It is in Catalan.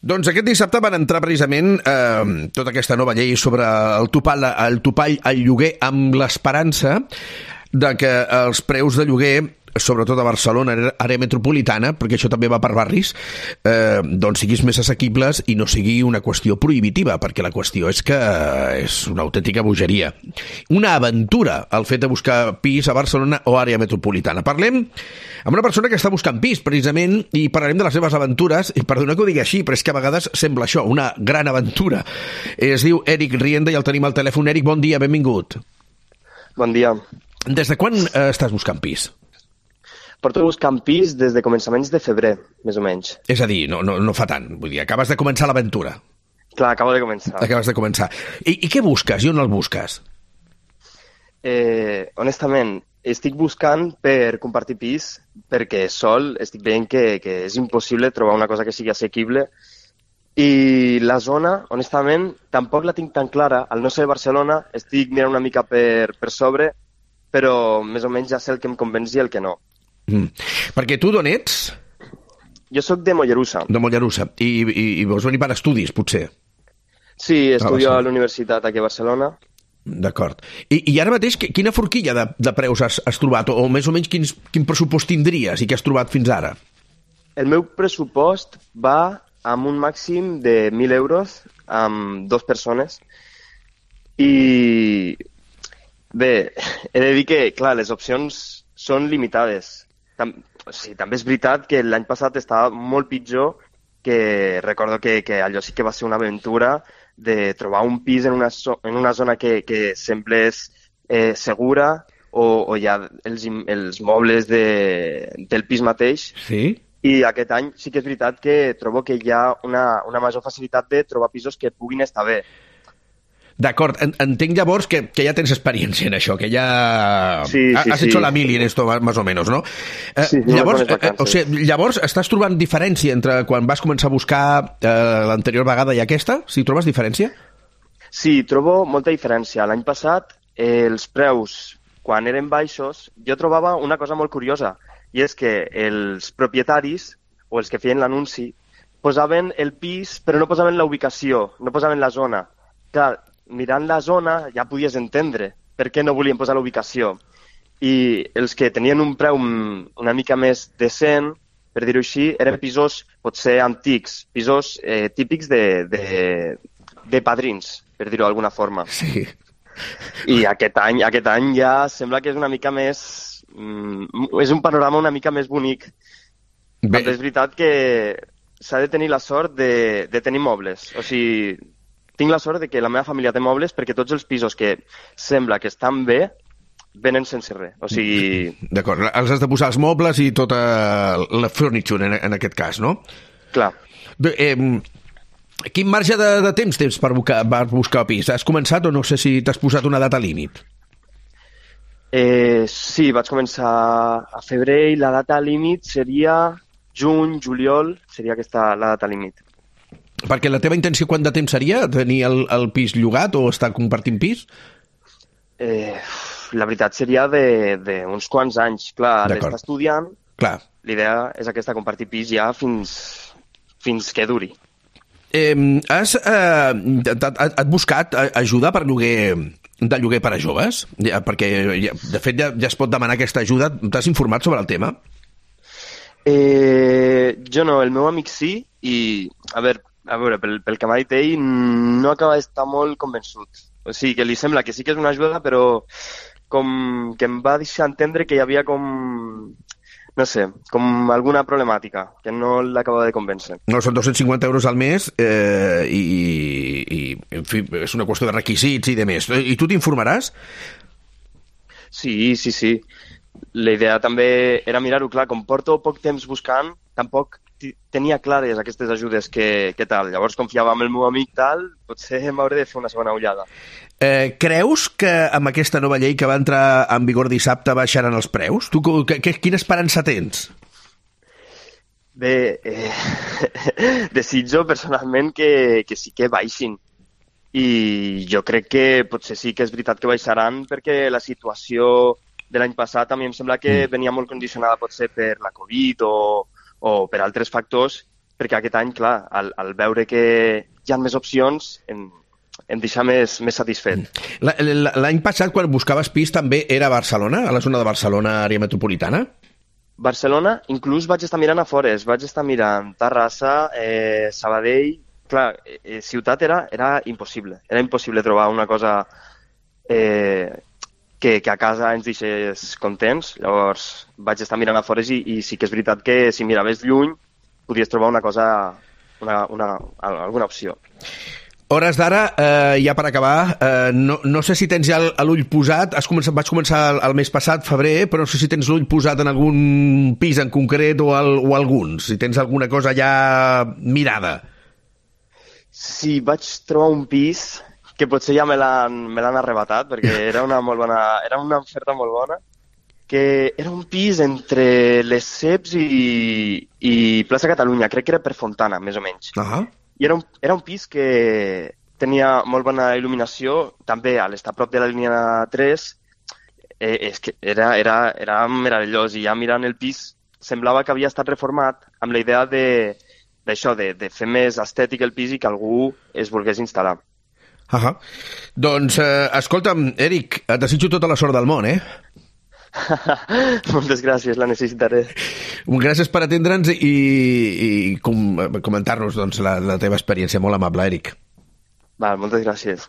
Doncs aquest dissabte van entrar precisament tota aquesta nova llei sobre el topall al lloguer amb l'esperança de que els preus de lloguer, sobretot a Barcelona, àrea metropolitana, perquè això també va per barris, doncs siguis més assequibles i no sigui una qüestió prohibitiva, perquè la qüestió és que és una autèntica bogeria. Una aventura, el fet de buscar pis a Barcelona o àrea metropolitana. Parlem amb una persona que està buscant pis, precisament, i parlarem de les seves aventures, i perdona que ho digui així, però és que a vegades sembla això, una gran aventura. Es diu Eric Rienda i el tenim al telèfon. Eric, bon dia, benvingut. Bon dia. Des de quan estàs buscant pis? Porto buscant pis des de començaments de febrer, més o menys. És a dir, no fa tant. Vull dir, acabes de començar l'aventura. Clar, acabo de començar. Acabes de començar. I què busques? I on el busques? Honestament, estic buscant per compartir pis perquè sol estic veient que és impossible trobar una cosa que sigui assequible i la zona, honestament, tampoc la tinc tan clara. Al no ser Barcelona, estic mirant una mica per sobre, però més o menys ja sé el que em convenç i el que no. Perquè tu d'on ets? Jo sóc de Mollerussa. De Mollerussa. I vols venir per estudis, potser? Sí, estudio a la universitat aquí a Barcelona. D'acord. I ara mateix, quina forquilla de preus has trobat? O més o menys quin pressupost tindries i què has trobat fins ara? El meu pressupost va amb un màxim de 1.000 euros amb 2 persones. I bé, he de dir que, clar, les opcions són limitades. També és veritat que l'any passat estava molt pitjor, que recordo que allò sí que va ser una aventura de trobar un pis en una zona que semblés segura o hi ha els mobles del pis mateix. Sí? I aquest any sí que és veritat que trobo que hi ha una major facilitat de trobar pisos que puguin estar bé. D'acord, entenc llavors que ja tens experiència en això, que ja has hecho la mili en esto, más o menos, ¿no? Sí, llavors estàs trobant diferència entre quan vas començar a buscar l'anterior vegada i aquesta? Sí, trobes diferència? Sí, trobo molta diferència. L'any passat, els preus, quan eren baixos, jo trobava una cosa molt curiosa, i és que els propietaris, o els que feien l'anunci, posaven el pis, però no posaven la ubicació, no posaven la zona. Clar, mirant la zona ja podies entendre per què no volien posar la ubicació. I els que tenien un preu una mica més decent, per dir-ho així, eren pisos potser antics, pisos típics de padrins, per dir-ho d'alguna forma. Sí. I aquest any ja sembla que és una mica més... és un panorama una mica més bonic. Però és veritat que s'ha de tenir la sort de tenir mobles. O sigui, tinc la sort de que la meva família té mobles perquè tots els pisos que sembla que estan bé venen sense res. O sigui... D'acord, els has de posar els mobles i tota la furniture en aquest cas, no? Clar. Quin marge de temps tens per buscar pis? Has començat o no sé si t'has posat una data límit? Sí, vaig començar a febrer i la data límit seria juny, juliol, seria aquesta la data límit. Perquè la teva intenció quant de temps seria? Tenir el pis llogat o estar compartint pis? La veritat seria d'uns quants anys. Clar, l'estar estudiant, clar. L'idea és aquesta, compartir pis ja fins que duri. Has buscat ajuda per lloguer per a joves? Perquè, de fet, ja es pot demanar aquesta ajuda. T'has informat sobre el tema? Jo no, el meu amic sí, i a veure, pel que m'ha dit ell, no acaba d'estar molt convençut. O sigui, que li sembla que sí que és una ajuda, però com que em va deixar entendre que hi havia no sé, com alguna problemàtica, que no l'acaba de convèncer. No, són 250 euros al mes i en fi, és una qüestió de requisits i de més. I tu t'informaràs? Sí. La idea també era mirar-ho, clar, com porto poc temps buscant, tampoc tenia clares aquestes ajudes que tal. Llavors confiava en el meu amic tal, potser m'hauré de fer una segona ullada. Creus que amb aquesta nova llei que va entrar en vigor dissabte baixaran els preus? Tu quina esperança tens? Bé, desitjo personalment que sí que baixin. I jo crec que potser sí que és veritat que baixaran perquè la situació de l'any passat a mi em sembla que venia molt condicionada potser per la Covid o per altres factors perquè aquest any, clar, al veure que hi ha més opcions, em deixa més satisfet. L'any passat, quan buscaves pis, també era a Barcelona, a la zona de Barcelona, àrea metropolitana? Barcelona, inclús vaig estar mirant a fores, vaig estar mirant Terrassa, Sabadell... Clar, ciutat era impossible. Era impossible trobar una cosa que a casa ens deixés contents. Llavors vaig estar mirant a fores i sí que és veritat que si miraves lluny podies trobar una cosa, alguna opció. Hores d'ara, ja per acabar, no sé si tens ja l'ull posat, vaig començar el mes passat, febrer, però no sé si tens l'ull posat en algun pis en concret o alguns, si tens alguna cosa ja mirada. Sí, vaig trobar un pis que potser ja me l'han arrebatat, perquè era una oferta molt bona, que era un pis entre les Ceps i Plaça Catalunya, crec que era per Fontana, més o menys. I era un pis que tenia molt bona il·luminació, també a l'estar prop de la línia 3, és que era meravellós, i ja mirant el pis semblava que havia estat reformat amb la idea d'això, de fer més estètic el pis i que algú es volgués instal·lar. Doncs, escolta'm, Eric, et desitjo tota la sort del món, Moltes gràcies, la necessitaré. Gràcies per atendre'ns i comentar-nos doncs, la teva experiència. Molt amable, Eric. Moltes gràcies.